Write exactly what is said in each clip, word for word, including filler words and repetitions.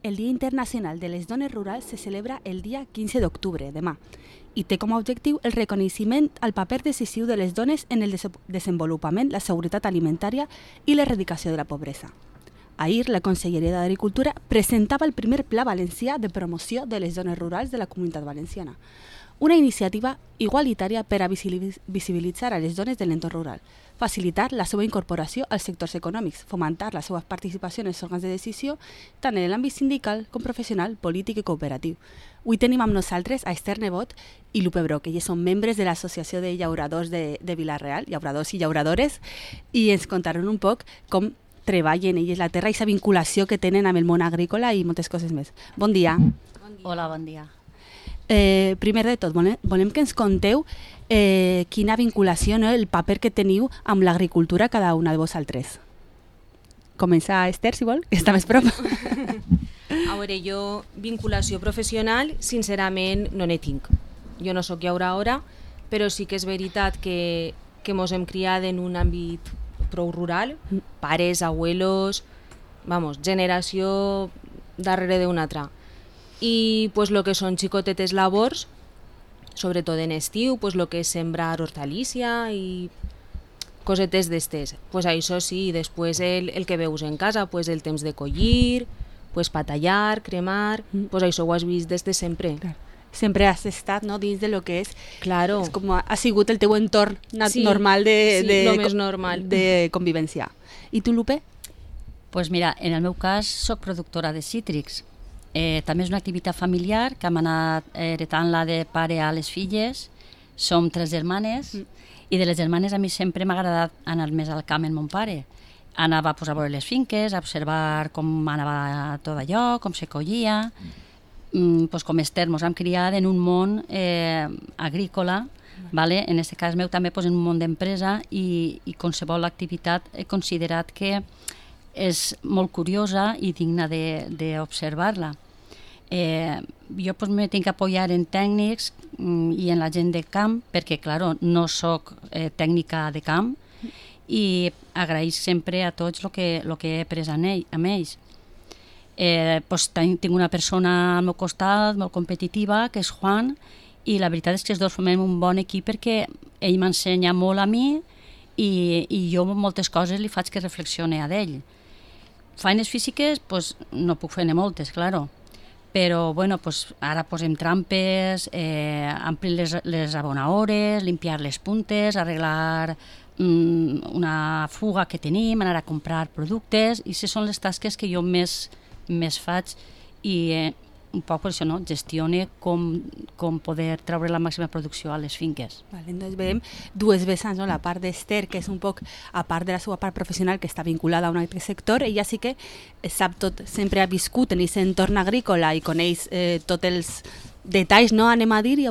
El Dia Internacional de les Dones Rurals se celebra el dia quinze d'octubre, demà, i té com a objectiu el reconeixement al paper decisiu de les dones en el des desenvolupament, la seguretat alimentària i l'erradicació de la pobresa. Ahir, la Conselleria d'Agricultura presentava el primer Pla Valencià de promoció de les dones rurals de la Comunitat Valenciana, una iniciativa igualitària per a visibilitzar a les dones de l'entorn rural, facilitar la seva incorporació als sectors econòmics, fomentar la seva participació en els òrgans de decisió, tant en l'àmbit sindical com professional, polític i cooperatiu. Avui tenim amb nosaltres a Esther Nebot i Lupe Broc, elles són membres de l'Associació de Llauradors de, de Vila-real, llauradors i llauradores, i ens contaran un poc com treballen elles la terra i la vinculació que tenen amb el món agrícola i moltes coses més. Bon dia. Bon dia. Hola, bon dia. Eh, primer de tot, volem, volem que ens conteu eh, quina vinculació, no, el paper que teniu amb l'agricultura cada una de vosaltres. Comença Esther, si vol, que està més prop. A veure, jo vinculació professional, sincerament, no ne tinc. Jo no sóc llauradora, però sí que és veritat que, que mos hem criat en un àmbit prou rural, pares, abuelos, vamos, generació darrere d'una altra. I pues lo que són xicotetes labors, sobretot en estiu, pues lo que és sembrar hortalícia i cosetes d'estes. Pues això sí, després el, el que veus en casa, pues el temps de collir, pues patallar, cremar, mm. pues això ho has vist des de sempre. Clar. Sempre has estat, no, dins de lo que és, claro. És com ha sigut el teu entorn sí, normal de, sí, de, lo més normal. de convivència. I tu, Lupe? Pues mira, en el meu cas soc productora de cítrics. Eh, també és una activitat familiar que hem anat heretant-la de pare a les filles. Som tres germanes mm. i de les germanes a mi sempre m'ha agradat anar més al camp amb mon pare. Anava pues, a veure les finques, a observar com anava tot allò, com se collia. Mm, pues, com Esther, ens hem criat en un món eh, agrícola, mm. vale? En aquest cas meu també pues, en un món d'empresa i, i qualsevol activitat he considerat que és molt curiosa i digna d'observar-la. Eh, jo pues, me tinc que apoyar en tècnics mm, i en la gent de camp, perquè, claro, no soc eh, tècnica de camp i agraïc sempre a tots el que, lo que he après amb, ell, amb ells. Eh, pues, tinc una persona al meu costat molt competitiva, que és Juan, i la veritat és que els dos formem un bon equip perquè ell m'ensenya molt a mi i, i jo moltes coses li faig que reflexione a d'ell. Feines físiques pues, no puc fer-ne moltes, claro, però bueno, pues, ara posem trampes, eh, amplir les, les abonaores, limpiar les puntes, arreglar mm, una fuga que tenim, anar a comprar productes, i aquestes són les tasques que jo més, més faig i eh, un poc per això, no? Gestione com, com poder treure la màxima producció a les finques. Vale, doncs veiem dues vessants, no? La part d'Esther, que és un poc, a part de la seva part professional, que està vinculada a un altre sector, ella sí que sap tot, sempre ha viscut en aquest entorn agrícola i coneix eh, tots els detalls, no anem a dir, i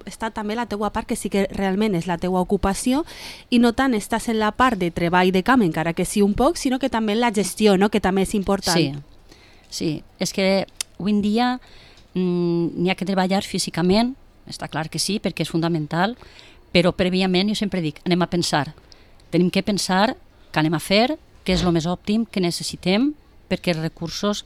està també la teua part, que sí que realment és la teua ocupació, i no tant estàs en la part de treball de camp, encara que sí un poc, sinó que també en la gestió, no? Que també és important. Sí, sí. És que avui en dia mm, n'hi ha que treballar físicament, està clar que sí, perquè és fundamental, però prèviament jo sempre dic, anem a pensar. Tenim que pensar què anem a fer, què és el més òptim, què necessitem, perquè els recursos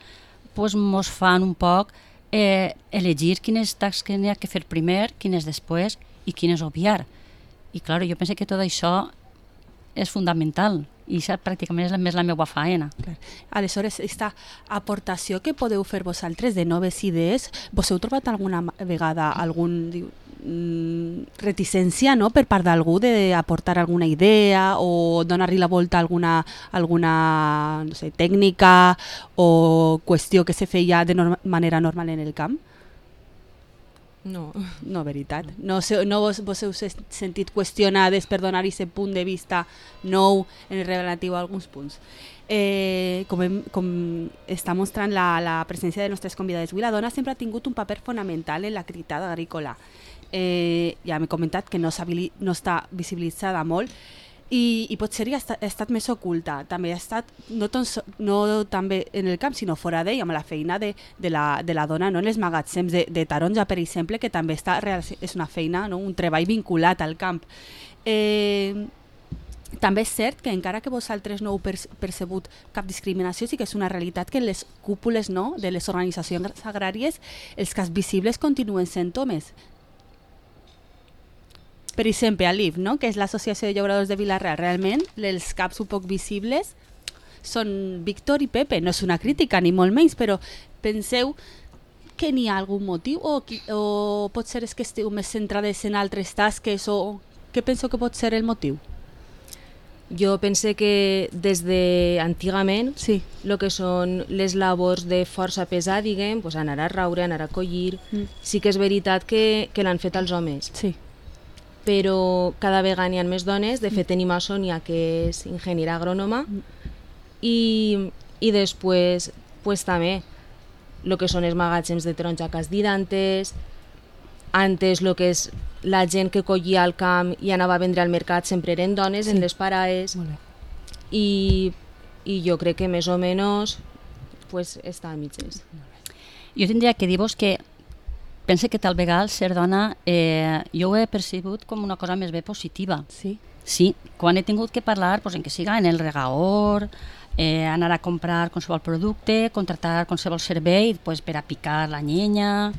pues, mos fan un poc eh, elegir quines tasques n'hi ha que fer primer, quines després i quines obviar. I clar, jo penso que tot això és fundamental i això pràcticament és la, més la meva faena. Clar. Aleshores, aquesta aportació que podeu fer vosaltres de noves idees, vos heu trobat alguna vegada algun mm, reticència, no?, per part d'algú d'aportar alguna idea o donar-li la volta a alguna, alguna no sé, tècnica o qüestió que se feia de norma, manera normal en el camp? No. No, veritat. No, no vos, vos heu sentit qüestionades per donar aquest punt de vista nou en relatiu a alguns punts. Eh, com, hem, com està mostrant la, la presència de nostres convidades avui, la dona sempre ha tingut un paper fonamental en l'activitat agrícola. Eh, ja m'he comentat que no, no està visibilitzada molt, i, i potser ha estat, ha estat més oculta. També ha estat, no, ton, no també en el camp, sinó fora d'ell, amb la feina de, de, la, de la dona, no? En els magatzems de, de taronja, per exemple, que també està, és una feina, no? Un treball vinculat al camp. Eh, també és cert que encara que vosaltres no heu percebut cap discriminació, sí que és una realitat que en les cúpules, no, de les organitzacions agràries els cas visibles continuen sent homes. Per exemple, a l'I F, no, que és l'Associació de Llauradors de Vila-real, realment els caps un poc visibles són Víctor i Pepe. No és una crítica ni molt menys, però penseu que n'hi ha algun motiu o, o pot ser és que esteu més centrades en altres tasques o què penseu que pot ser el motiu? Jo pense que des d'antigament sí. el que són les labors de força pesar, diguem, pues anar a raure, anar a collir, mm. sí que és veritat que, que l'han fet els homes. Sí. Però cada vegada n'hi ha més dones. De fet, tenim a Sònia, que és ingeniera agrònoma, mm. i, i després pues, també el que són els magatzems de taronja que has dit antes, antes el que és la gent que collia al camp i anava a vendre al mercat sempre eren dones, sí. en les paraes, i, i jo crec que més o menys pues, està a mitges. Jo tindria que dir-vos que pense que tal vegada ser dona eh, jo ho he percebut com una cosa més bé positiva. Sí? Sí, quan he tingut que parlar, pues, en que siga en el regaor, eh, anar a comprar qualsevol producte, contratar qualsevol servei pues, per a picar la llenya,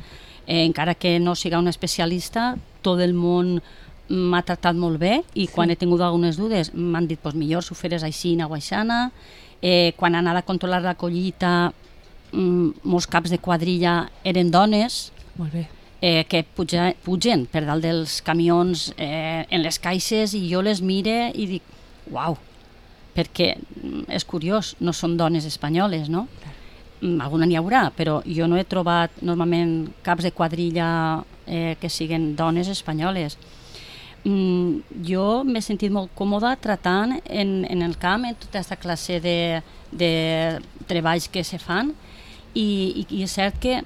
eh, encara que no siga un especialista, tot el món m'ha tractat molt bé i sí. quan he tingut algunes dudes m'han dit pues, millor si ho feres així o aixana. Eh, quan anava a controlar la collita, mm, molts caps de quadrilla eren dones. Molt bé. Eh, que puja, pugen per dalt dels camions eh, en les caixes i jo les mire i dic, uau, perquè és curiós, no són dones espanyoles, no? Alguna n'hi haurà, però jo no he trobat normalment caps de quadrilla eh, que siguin dones espanyoles. Mm, jo m'he sentit molt còmoda tratant en, en el camp, en tota aquesta classe de, de treballs que se fan i, i, i és cert que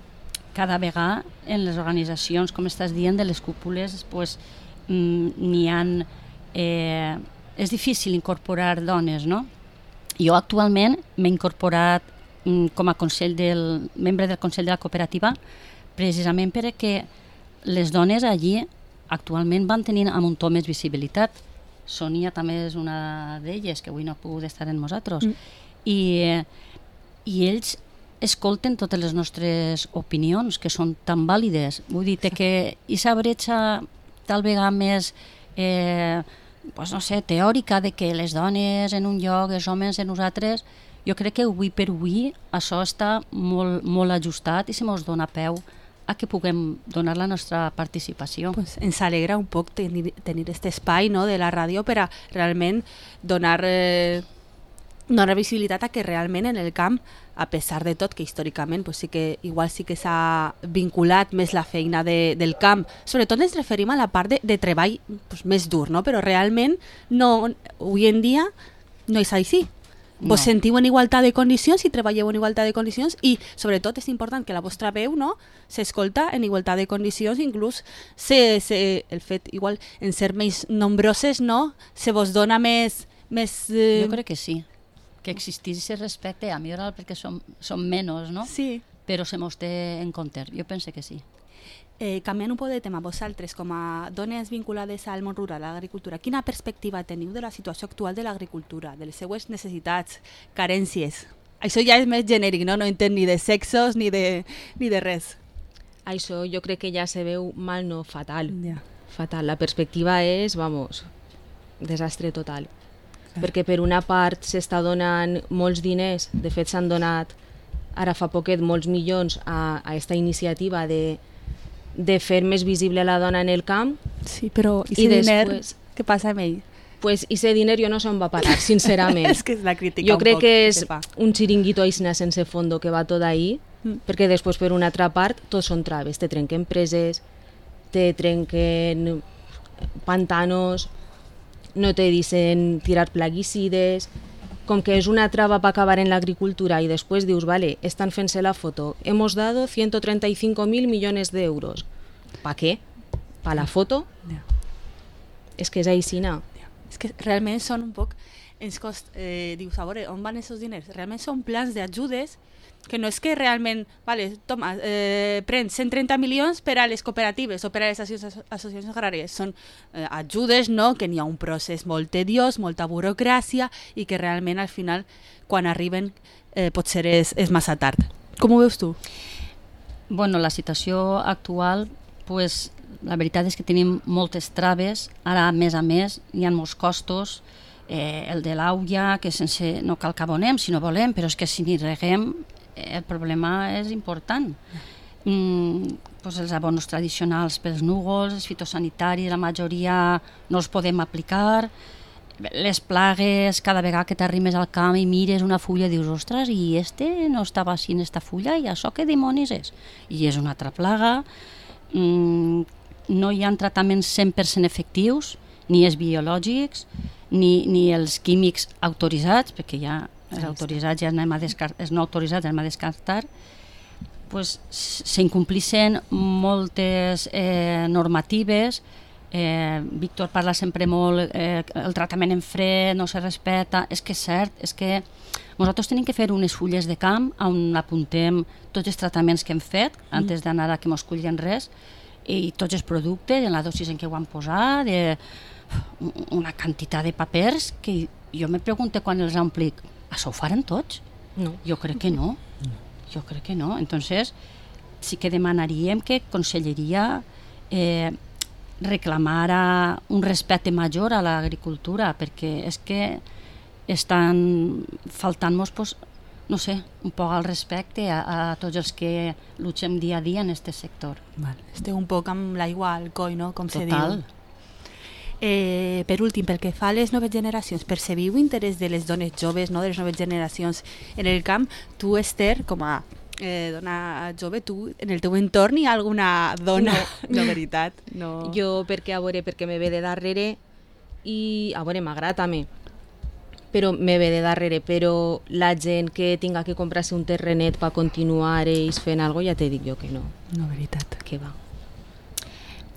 cada vegada en les organitzacions, com estàs dient, de les cúpules, pues, mm, n'hi ha... Eh, és difícil incorporar dones, no? Jo actualment m'he incorporat com a consell del, membre del Consell de la Cooperativa precisament perquè les dones allí actualment van tenint amb un to més visibilitat. Sònia també és una d'elles, que avui no ha pogut estar amb nosaltres. Mm. I, I ells escolten totes les nostres opinions, que són tan vàlides. Vull dir que aquesta bretxa tal vegada més eh, pues no sé, teòrica de que les dones en un lloc, els homes en nosaltres, jo crec que avui per avui això està molt, molt ajustat i se mos dona peu a que puguem donar la nostra participació. Pues ens alegra un poc tenir, tenir aquest espai, no, de la ràdio per a realment donar, eh, donar visibilitat a que realment en el camp, a pesar de tot, que històricament pues sí que igual sí que s'ha vinculat més la feina de, del camp, sobretot ens referim a la part de, de treball pues, més dur, no? Però realment no, avui en dia no és així. Vos no. Sentiu en igualtat de condicions i treballeu en igualtat de condicions i sobretot és important que la vostra veu no, s'escolta en igualtat de condicions, inclús se, se, el fet igual en ser més nombroses no, se vos dona més... més eh... Jo crec que sí, que existís ese respecte a millorar perquè som, som menys, no? Sí. Però se mos té en compte, jo penso que sí. Eh, canviant un poc de tema, vosaltres com a dones vinculades al món rural, a l'agricultura, quina perspectiva teniu de la situació actual de l'agricultura, de les seues necessitats, carències? Això ja és més genèric, no? No entenc ni de sexos ni de, ni de res. Això jo crec que ja se veu mal, no, fatal. Yeah. Fatal. La perspectiva és, vamos, desastre total. Ah. Perquè per una part s'està donant molts diners, de fet s'han donat ara fa poquet molts milions a, a esta iniciativa de de fer més visible la dona en el camp. Sí, però i ese diner, què passa amb ell? Pues ese diner jo no sé on va parar, sincerament. És que és la crítica jo un crec poc que és que un xiringuito aixina sense fondo que va tot ahí, mm. perquè després per una altra part tot són traves, te trenquen preses, te trenquen pantanos, no te dicen tirar plaguicides. Com que és una traba para acabar en l'agricultura i després dius, vale, estan fent-se la foto, hemos dado ciento treinta y cinco mil millones de euros. ¿Pa qué? ¿Pa la foto? Yeah. És que és aixina. Yeah. És que realment són un poc... Ens cost, eh, dius, a veure, on van aquests diners? Realment són plans d'ajudes que no és que realment, vale, toma, eh, prens cent trenta milions per a les cooperatives o per a les associacions agràries. Són eh, ajudes, no?, que n'hi ha un procés molt tediós, molta burocràcia i que realment al final, quan arriben, eh, potser és, és massa tard. Com ho veus tu? Bueno, la situació actual, pues, la veritat és que tenim moltes traves. Ara, a més a més, hi ha molts costos. Eh, el de l'aulla, que sense, no cal que abonem si no volem, però és que si n'hi reguem el problema és important. Mm, pues els abonos tradicionals pels núvols, els fitosanitaris, la majoria no els podem aplicar. Les plagues, cada vegada que t'arrimes al camp i mires una fulla, dius, ostres, i este no estava així en esta fulla, i això què dimonis és? I és una altra plaga. Mm, no hi ha tractaments cent per cent efectius, ni els biològics, ni, ni els químics autoritzats, perquè ja els autoritzats ja anem a descartar, els no autoritzats anem a descartar, pues, s'incomplixen moltes eh, normatives. Eh, Víctor parla sempre molt, eh, el tractament en fred no se respecta. És que és cert, és que nosaltres tenim que fer unes fulles de camp on apuntem tots els tractaments que hem fet mm. antes d'anar a que mos cullin res, i tots els productes, en la dosis en què ho han posat, de una quantitat de papers que jo me pregunto quan els omplic, això ho faran tots? No. Jo crec que no. Jo crec que no. Entonces, sí que demanaríem que Conselleria eh, reclamara un respecte major a l'agricultura, perquè és que estan faltant-nos, pues, no sé, un poc al respecte a, a tots els que lluitem dia a dia en aquest sector. Vale. Esteu un poc amb l'aigua al coll, no?, com se Total. diu. Eh, per últim, pel que fa a les noves generacions, percebiu interès de les dones joves, no?, de les noves generacions en el camp? Tu, Esther, com a eh, dona jove, tu, en el teu entorn hi ha alguna dona? No, no, veritat. No. Jo, perquè, a veure, perquè me ve de darrere i, a veure, m'agrada també, però me ve de darrere, però la gent que tinga que comprar-se un terrenet per continuar ells fent alguna cosa, ja te dic jo que no. No, veritat. Que va.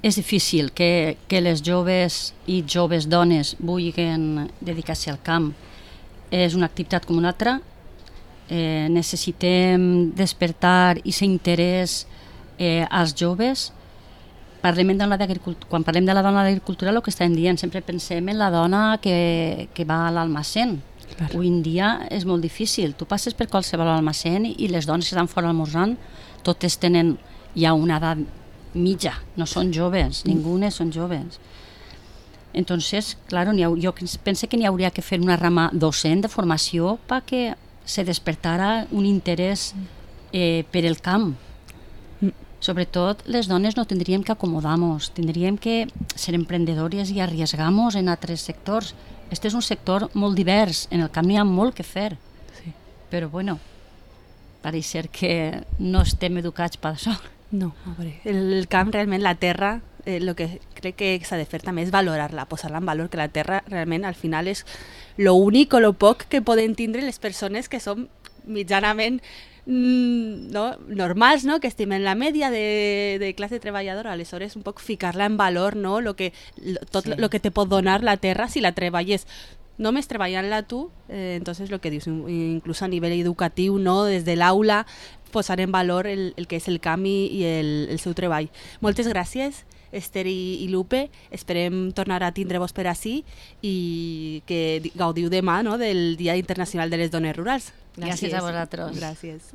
És difícil que, que les joves i joves dones vulguin dedicar-se al camp. És una activitat com una altra. Eh, necessitem despertar i ser interès eh, als joves. Parlem de la Quan parlem de la dona d'agricultura, el que estem dient, sempre pensem en la dona que, que va a l'almacén. Claro. Avui en dia és molt difícil. Tu passes per qualsevol almacén i les dones que estan fora almorzant, totes tenen ja una edat mitja, no són joves, ningunes són joves. Entonces, claro, ha, jo penso que n'hi hauria que fer una rama docent de formació perquè se despertara un interès eh, per el camp. Sobretot, les dones no tindríem que acomodar-nos, tindríem que ser emprendedores i arriesgar-nos en altres sectors. Este és un sector molt divers, en el camp hi ha molt que fer. Sí. Però, bueno, pareix ser que no estem educats per això. No, a veure, el camp realment, la terra, el eh, que crec que s'ha de fer també és valorar-la, posar-la en valor, que la terra realment al final és lo únic o lo poc que poden tindre les persones que són mitjanament mm, no, normals, no? Que estimen la media de, de classe treballadora, aleshores un poc ficar-la en valor, no? Lo que, lo, tot sí. Lo que te pot donar la terra si la treballes només treballant-la tu, eh, entonces lo que dius, inclús a nivell educatiu, no? Des de l'aula, posar en valor el, el que és el camp i, i el, el seu treball. Moltes gràcies, Esther i, i Lupe. Esperem tornar a tindre-vos per ací i que gaudiu demà, no?, del Dia Internacional de les Dones Rurals. Gràcies, Gràcies a vosaltres. Gràcies.